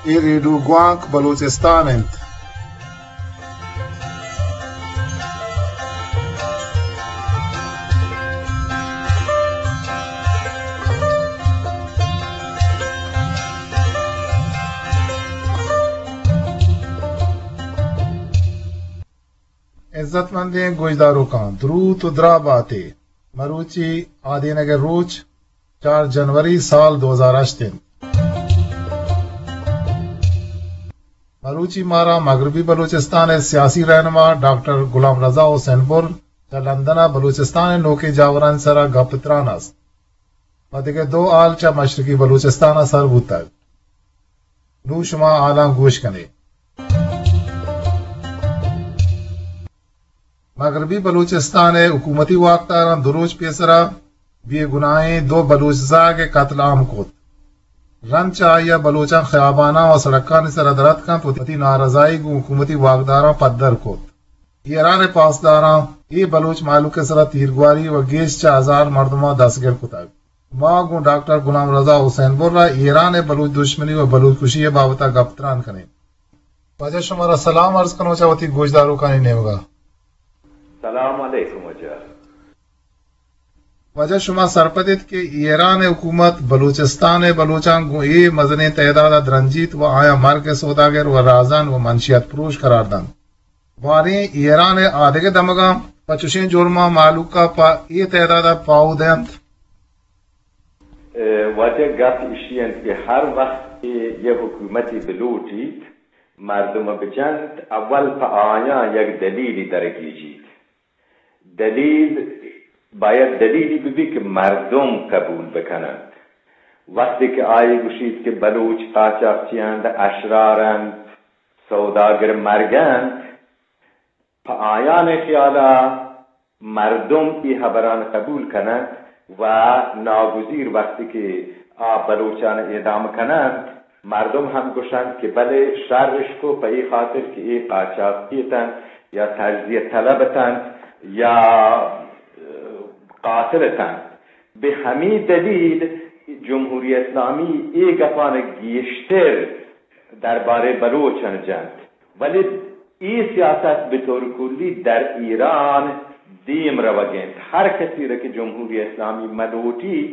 اے ریڈیو گوانک بلوچستان انت۔ عزت مندیں گوشداروکاں، دروت و دراہ باتے۔ مروچی آدینگ ء روچ چار جنوری سال دو ہزار ہشت انت۔ مروچی مارا مغربی بلوچستان ء سیاسی رہنما ڈاکٹر غلام رضا حسین بر چہ لندن ء بلوچستان ء نوکیں جاورانی سرا گپ تران است۔ پہ دگہ دو ہال چہ مشرقی بلوچستان ء سر بوتگ۔ نوں شما ہالاں گوش کنے۔ مغربی بلوچستان ء حکومتی واکداراں دو روچ پیسرا بے گناہیں دو بلوچ زاگ ء قتل عام کت۔ رند چہ آئی ء بلوچاں خیاباناں و سڑکانی سرا در اتکنت و وتی نارضائی گوں حکومتی واکداراں پدر کت۔ ایران ء پاسداراں اے بلوچ مہلوک ء سرا تیرگواری و گیش چہ ہزار مردماں دستگیر کتگ۔ ما گوں ڈاکٹر غلام رضا حسین بر ء ایران ء بلوچ دشمنی و بلوچ کشی ء بابت ء گپ تران کنیں۔ واجہ شمارا سلام عرض کنوں چہ وتی گوشداروکانی نیمگ ء۔ سلام علیکم واجہ۔ واجہ شما سرپد ات کہ ایران ء حکومت بلوچستان ء بلوچاں گوں اے مزنیں تعداد ء درنجیت و آیاں مرگ ء سوداگر و رازن و منشیات پروش قرار دنت۔ باریں ایران ء آدگہ دمگاں پہ چشیں جرماں مہلوک ء پہ اے تعداد ء پاہو دینت۔ اے، واجہ، گپ ایشی انت کہ ہر وقت کہ یک حکومتی بلوٹیت مردم بجنت، اول پہ آیاں یک دلیلی درگیجیت۔ دلیل، باید دلیلی ببیت کہ مردم قبول بکننت۔ وقتی کہ آئی گوشیت کہ بلوچ قاچاقچی انت، اشرار انت، سوداگر مرگ انت، پہ آیان خیالا مردم اے ہبران قبول کننت و ناگزیر وقتی کہ آ بلوچان اعدام کننت، مردم ہم گوشنت کہ بلے شر اش کو، پہ اے خاطر کہ اے قاچاقچی اتنت یا تجزیہ طلب اتنت یا قاتل اتنت۔ بہ ہمے دلیل جمہوری اسلامی اے گپان گیشتر دربارے بلوچان جنت، ولی اے سیاست بہ طور کلی در ایران دیم روگ انت۔ ہر کسی را کہ جمہوری اسلامی ملوٹیت،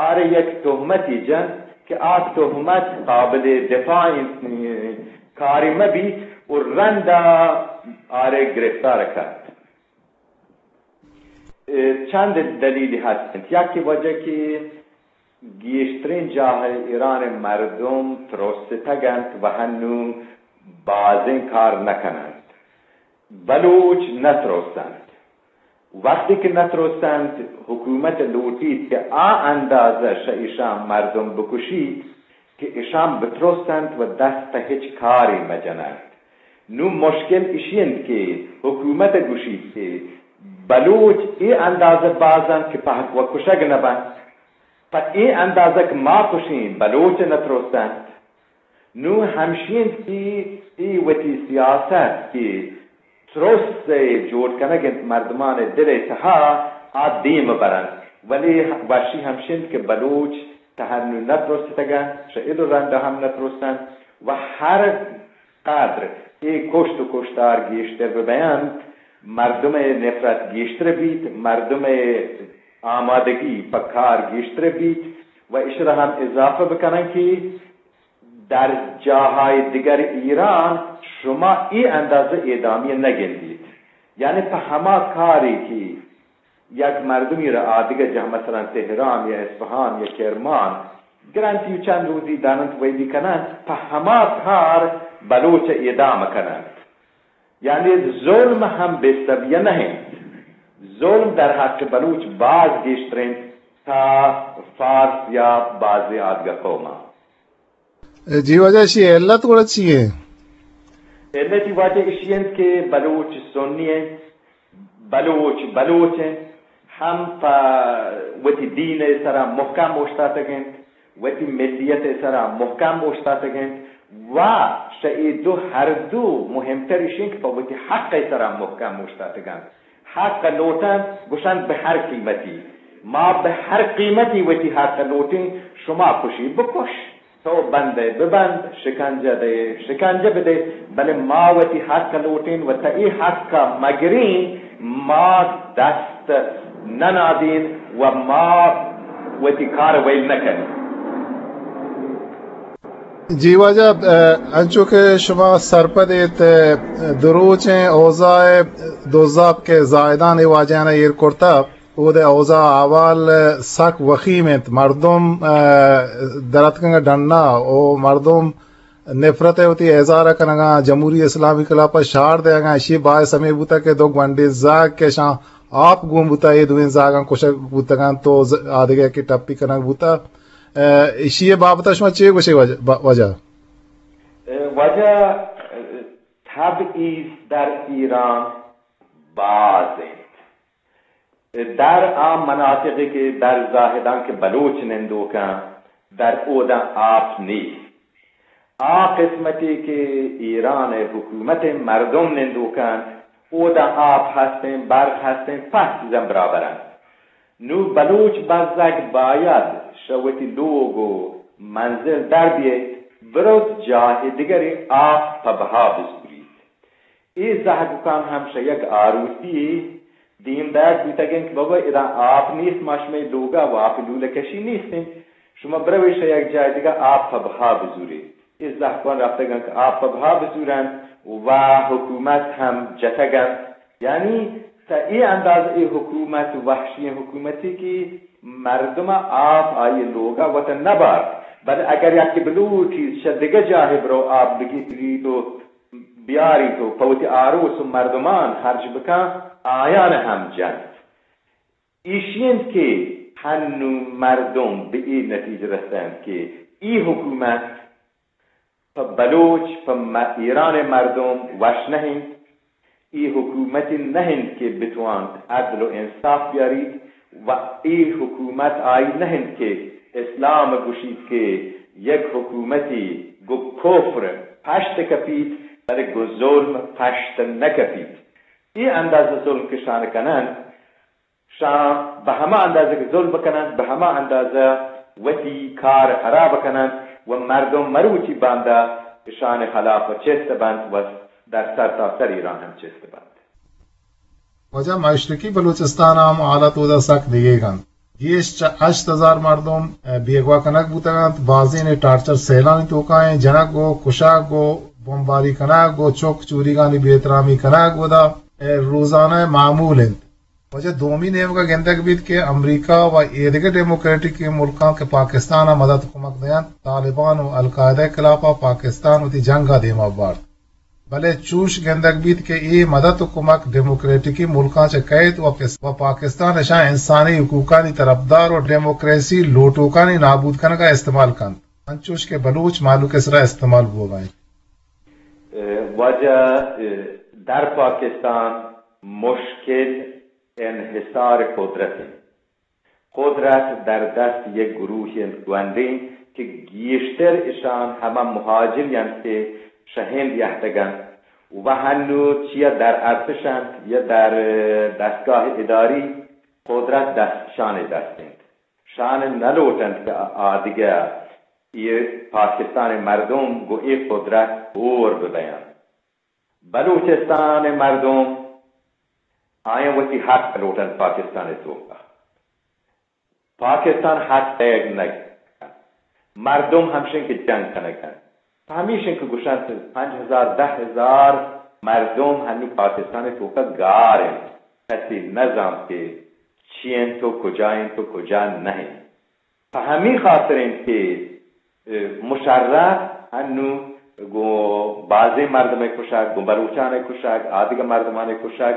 آرے یک تہمتی جنت کہ آ تہمت قابل دفاع انت، کاری مبیت و رندا آرے گرفتار کنت۔ اے چند دلیلی ہست انت۔ یکے وجہ کہ گیشترین جاہ ایران مردم ترستگ انت و ہنو بازیں کار نکننت۔ بلوچ نترستنت۔ وقتی کہ نترستنت، حکومت لوٹیت کہ آ اندازہ شہ ایشان مردم بکشیت کہ ایشان بترستنت و دست پہ ہچ کاری مجننت۔ نوں مشکل ایشی انت کہ حکومت گوشیت کہ بلوچ اے اندازہ باز انت کہ پہک و کشگ نہ بنت، پہ اے اندازہ کہ ما کشیں بلوچ نہ ترست انت۔ نوں ہمشی انت کہ اے وتی سیاست کہ ترس ء جوڑ کنگ انت مردمان ء دل ء تہا، آ دیم برنت، ولی وشی ہمش انت کہ بلوچ تہ ہنو نہ ترستگ انت، چہ اد و رند ہم نہ ترست انت و ہر قدر اے کشت و کشتار گیشتر بہ بینت، مردم ء نفرت گیشتر بیت، مردم ء آمادگی پہ کار گیشتر بیت و اشرا ہم اضافہ بکنن کہ در جاہائے دگر ایران شما اے اندازہ اعدامیہ نہ گندیت۔ یعنی پہ ہما کارے کہ یک مردمی را آدگہ جاہ، مثلاً تہران یا اصفہان یا کرمان، گرنت و چند روزی داننت ویدی کننت، پہ ہما کار بلوچ اعدام کننت۔ یعنی ظلم ہم بے سبیہ نہ انت۔ ظلم در حق بلوچ باز گیشتر انت تا فارس یا بعضی آدگہ قوماں۔ جی واجہ، اشی علت گڑا چی ہے؟ علت واجہ اشی انت کہ بلوچ سنی انت، بلوچ بلوچ انت، ہم پہ وتی دین ء سرا محکم اوشتاتگ انت، وتی ملیت ء سرا محکم اوشتاتگ انت و شہ اے دو ہر دو مہمتر اش انت کہ پہ وتی حق ء سرا محکم اوشتاتگ انت۔ حق لوٹنت، گوشنت بہ ہر قیمتی، ما بہ ہر قیمتی وتی حق لوٹیں، شما کشی بکش۔ تو بندئے ببند، شکنجہ دئے شکنجہ بدئے، بلے ما وتی حق لوٹیں و تا اے حق مگریں، ما دست ننادیں و ما وتی کار ویل نکنیں۔ جی واجہ، انچو کہ شما سرپد ایت، دروچیں اوضاع دزاپ کہ زاہدان اے واجہانا ایر کرتا، اودے اوضاع احوال سک وخیم انت۔ مردم، ء، دراتکگاں ڈنا، او مردم نفرت ء وتی اظہار کنگاں، جمہوری اسلامی خلاف ء شعار دیگاں۔ اشی باعث ہمے بوتا کہ دو گونڈیں زاگ کہ اشاں آپ گون بوتا، اے دوئیں زاگاں کشگ بوتگاں تو ز-، آدگہ کہ ٹپی کنگ بوتا۔ ء، اشی بابت شما چے گوشے واجہ؟ با-، واجہ؟ ء، واجہ، ء، تبعیض در ایران باز انت۔ در آ مناطقے کہ در زاہدان کہ بلوچ نندوکاں، در اوداں آپ نیست۔ آ قسمتے کہ ایران حکومت مردم نندوکاں، اوداں آپ ہستیں، برق ہستیں، پہ چیزاں برابر انت۔ نوں بلوچ بزگ باید شہ وتی لوگ و منزل در بیت، برت جاہ دگرے آپ پہ بہا بزوریت۔ اے زہگوکان ہم شہ یک آروسی یے دیم دئیگ بوتگ انت کہ بابا ادا آپ نیست، ما شمئے لوگا و آپ لولہ کشی نیست انت، شما بروے شہ یک جاہ دگہ آپ پہ بہا بزورے۔ اے زہگوکان رفتگ انت کہ آپ پہ بہا بزورنت و حکومت ہم جتگ انت۔ یعنی تا اے انداز اے حکومت وحشی حکومتی کہ مردم آپ آئی لوگا وت نبارت، بلے اگر یکے بلوٹیت شہ دگہ جاہے برو آپ بگیریت و بیاریت و پہ وتی آروس و مردمان خرچ بکن، آیان ہم جنت۔ ایشی انت کہ ہنو مردم بہ اے نتیجہ رستنت کہ ای حکومت پہ بلوچ، پہ م-، ایران مردم وش نہ انت۔ ای حکومتی نہ انت کہ بتوانت عدل و انصاف بیاریت و ای حکومت آئی نہ انت کہ اسلام گوشیت کہ یک حکومتی گو کفر پشت کپیت، بلے گو ظلم پشت نہ کپیت۔ ای اندازہ ظلم کہ شان کننت، شان بہ ہما اندازہ کہ ظلم کننت، بہ ہما اندازہ وتی کار خراب کننت و مردم مروچی باندا اشان خلاف چست بنت و در سر تا سر ایران ہم چست بنت۔ واجہ، مشرقی بلوچستان ہم حالت اودا سک دگیگ انت۔ گیش چہ ہشت ہزار مردم، ء، بیگواہ کنگ بوتگ انت۔ بازین ٹارچر سیلانی توکا انت۔ جنگ و کشگ و بمباری کنگ و چک چوریگانی بے احترامی کنگ اودا، ء، روزانہ معمول انت۔ واجہ، دومی نیمگا گندگ بیت کہ امریکہ و ایدگہ ڈیموکریٹک ملکاں کہ پاکستان ء مدد کمک دینت، طالبان و القاعدہ خلاف ء پاکستان وتی جنگ ء دیما بارت۔ بلے چوش گندگ بیت کہ اے مدد و کمک ڈیموکریٹکی ملکاں چہ کئیت و پس-، و پاکستان اشاں انسانی حقوقانی طرفدار و ڈیموکریسی لوٹوکانی نابود کنگا استعمال کنت، انچوش کہ بلوچ مہلوک ء سرا استعمال بوگا انت۔ ء، واجہ، ء، در پاکستان مشکل انحصار قدرت انت۔ قدرت در دست یک گروہے انت گونڈیں کہ گیشتر اشان ہما مہاجر انت کہ شہ ہند یہتگ انت و ہنو چیا در ارتش انت یا در دستگاہ اداری، قدرت دست، شان دست انت۔ شان نہ لوٹنت کہ آدگہ اے پاکستان مردم گو اے قدرت ہور ببیانت۔ بلوچستان مردم آیاں وتی حق لوٹنت پاکستان توکا۔ پاکستان حق دیگ نہ کنت۔ مردم ہمشن کہ جنگ کنگ انت۔ پہ ہمیشن کہ گوشنت پنچ ہزار، دہ ہزار مردم ہنی پاکستان توکا گار انت۔ کسی نہ زانت کہ چی انت و کجا انت و کجا نہ انت۔ پہ ہمے خاطر انت کہ، ء، مشرف انو گوں بازیں مردم ء کشگ، گوں بلوچان ء کشگ، آدگہ مردمان ء کشگ،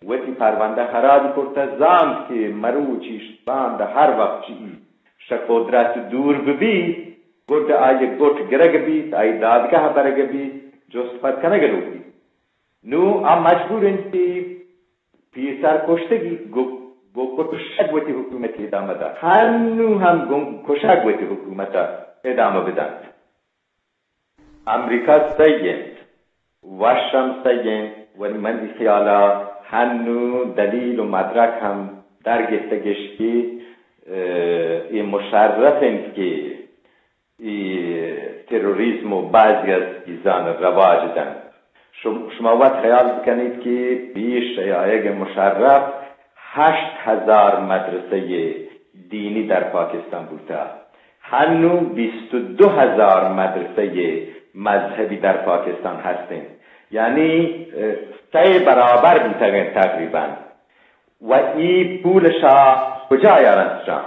وتی پروندہ خراب کرتہ، زانت کہ مروچی باندا ہر وقت چی شہ قدرت دور ببیت، گڈ آئی گٹ گرگ بیت، آئی دادگاہ برگ بیت، جست پد کنگ لوٹیت۔ نوں آ مجبور انت کہ پیسر کشتگی گو، گو کشگ وتی حکومت ادامہ دات۔ ہنو ہم گوں کشگ وتی حکومت ادامہ بدنت۔ امریکہ سہی انت، وش ہم سہی انت، ولی منی خیالا ہنو دلیل و مدرک ہم در گپتگش کہ، اه، اے مشرف انت کہ ای تروریزم و بعضی از چیزان رواج دنت. شم-، شما وت خیال بکنیت که پیش آیگ مشرف هشت هزار مدرسهٔ دینی در پاکستان بوتا، هنو بیست و دو هزار مدرسهٔ مذهبی در پاکستان هستین، یعنی، اه، سه برابر بوتگین تقریباً. و ای پولشا کجا یارنت شان؟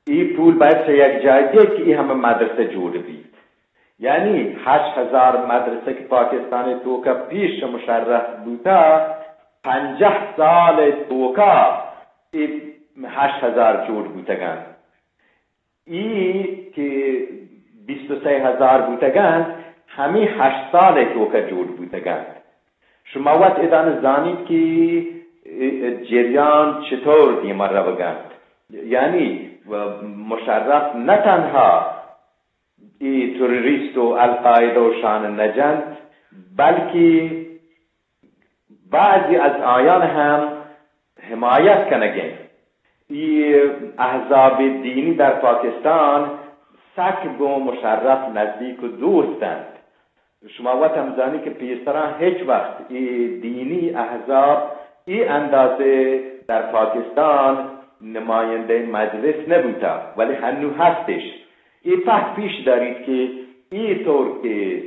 ای پول باید چه یک جای دیت که ای همه مدرسه جوڑ بیت. یعنی هشت هزار مدرسه که پاکستان توکا پیش مشرف بوتا، پنجاه سال توکا ای هشت هزار جوڑ بوتگن. ای که بیست و سه هزار بوتگن، همی هشت سال توکا جوڑ بوتگن. شما وت ادان زانیت که ای جریان چطور دیما روگنت. یعنی، و مشرف نه تنها ای تروریست و القاعده و شان نجنت، بلکه بعضی از آیان هم حمایت کنگین. ای احزاب دینی در پاکستان سک گون مشرف نزدیک و دوستنت. شما وت هم زانی که پیسران هیچ وقت ای دینی احزاب ای اندازه در پاکستان نماینده مجلس نبوتا، ولی هنو هستش. ای فکر پیش داریت که ای طور که،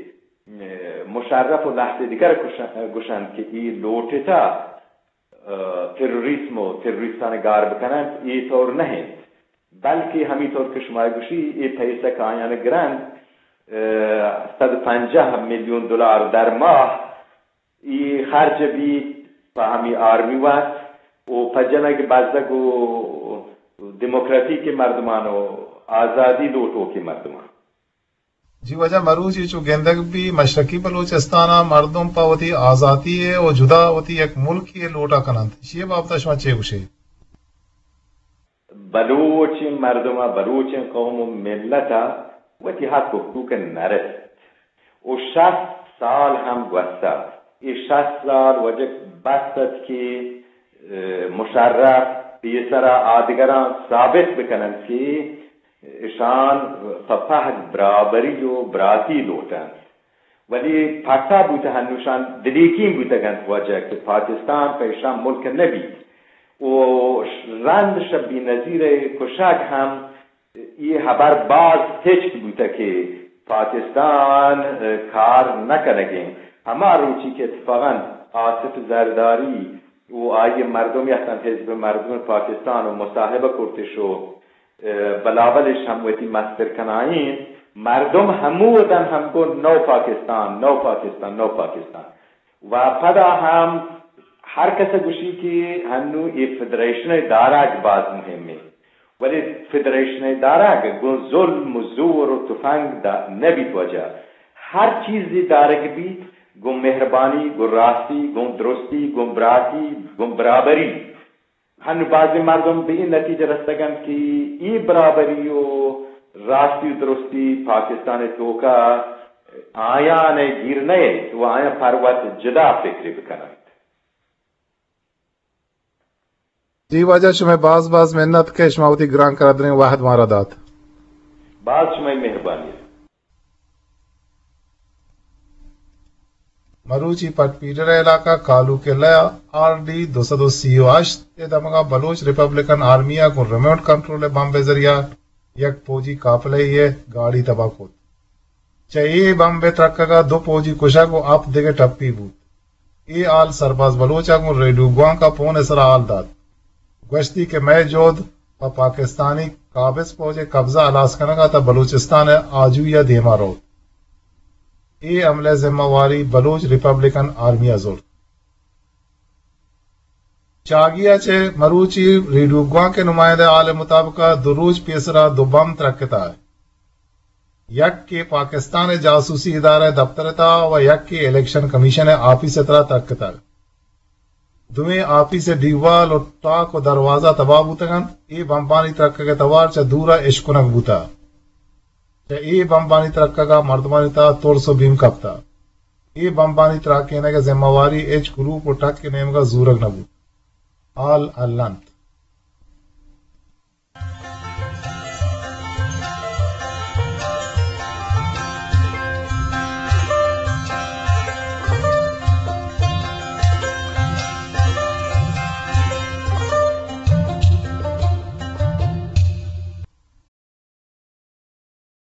اه، مشرف و لحظه دیگر گوشن-، گوشند که ای لوٹتا، اه، تروریسم و تروریستان گار بکنند، ای طور نهند. بلکه همی طور که شما گوشی، ای پیسه که آیان گرند، اه، صد و پنجاه میلیون دلار در ماه، ای خرج بیت په همی آرمی وت و په جنگ بزگ و دموکراتیک مردمان و آزادی لوٹوک مردمان. جی واجہ، مروچی چو گندگ بی مشرقی بلوچستان ء مردم پہ وتی آزاتی ء و جدا وتی یک ملکی ء لوٹا کننت، اشی ء بابت ء شما چے گوشے؟ بلوچیں مردم ء، بلوچیں قوم و ملت ء وتی حق و حقوق نہ رست و شست سال ہم گوستہ. اے شست سال وجہ بس ات کہ، اه، مشرف پیسرا آدگراں ثابت بکننت کہ اشان پہ پہک برابری و براتی لوٹنت. ولی پھٹا بوتہ ہنوشان دلیکین بوتگنت وجہ کہ پاکستان پہ اشان ملک نہ بیت و رند شہ بینظیر کشگ ہم اے ہبر باز ہچک بوتہ کہ پاکستان، اه، کار نہ کنگیں. ہما روچی کہ اتفاقاً آصف زرداری و آئی مردم یاتن حزب مردم پاکستان و مصاحبہ کرتش و، اه، بلاولش ہم وتی مستر کنائیں، مردم ہمودن ہم گو نو پاکستان، نو پاکستان، نو پاکستان. و پدا ہم ہر کس گوشی کہ ہنو اے فدریشن دارگ باز مہمیں، ولی فدریشن دارگ گوں ظلم و زور و تفنگ دا نہ بیت وجہ. ہر چیزی دارگ بیت گوں مہربانی، گوں راستی، گوں درستی، گوں براتی، گوں برابری. ہن بازیں مردم بہ این نتیجہ رستگنت کہ ای برابری و راستی و درستی پاکستان توکا آیان گیر نیت و آیان پر وت جدا فکری بکننت. جی واجہ، شمئے باز باز منت کہ شما وتی گران قدریں وہد مارا دات. باز شمئے مہربانی. مروچی پٹ پیڈر ء علاقہ کالو قلعہ ء آر ڈی دو سد و سی و ہشت ء دمگا بلوچ ریپبلکن آرمی ء گوں ریموٹ کنٹرول ء بمب ء ذریعہ یک پوجی قافلہ ء گاڑی تباہ کت. چہ اے بمب ء ترکگ ء دو پوجی کشگ و ہپت دگہ ٹپی بوت. اے حال سرباز بلوچ ء گوں ریڈیو گوانک ء پون ء سرا حال دات. گوشتی کہ مئے جہد پہ پاکستانی قابض فوج ء قبضہ ہلاس کنگ ء تاں بلوچستان ء آجوئی ء دیما روت. اے حملہ ء ذمہ واری بلوچ ریپبلکن آرمی ء زرت. چاگی ء چہ مروچی ریڈیو گوانک ء نمائندہ ء حال ء مطابق ء دو روچ پیسرا دو بمب ترکتہ. یکے پاکستان ء جاسوسی ادارہ ء دپتر ء تہا و یکے الیکشن کمیشن ء آفیس ء تہا ترکتگ. دوئیں آفیس ء دیوال و ٹاک و دروازہ تباہ بوتگ انت. اے بمبانی ترکگ ء توار چہ دور ء اشکنگ بوتہ. چہ اے بمبانی ترکگ ء مردمانی تہا ترس و بیم کپتہ. اے بمبانی تراکینگ ء ذمہ واری ہچ گروپ و ٹک ء نیمگ ء زورگ نہ بوت. حال ہلنت.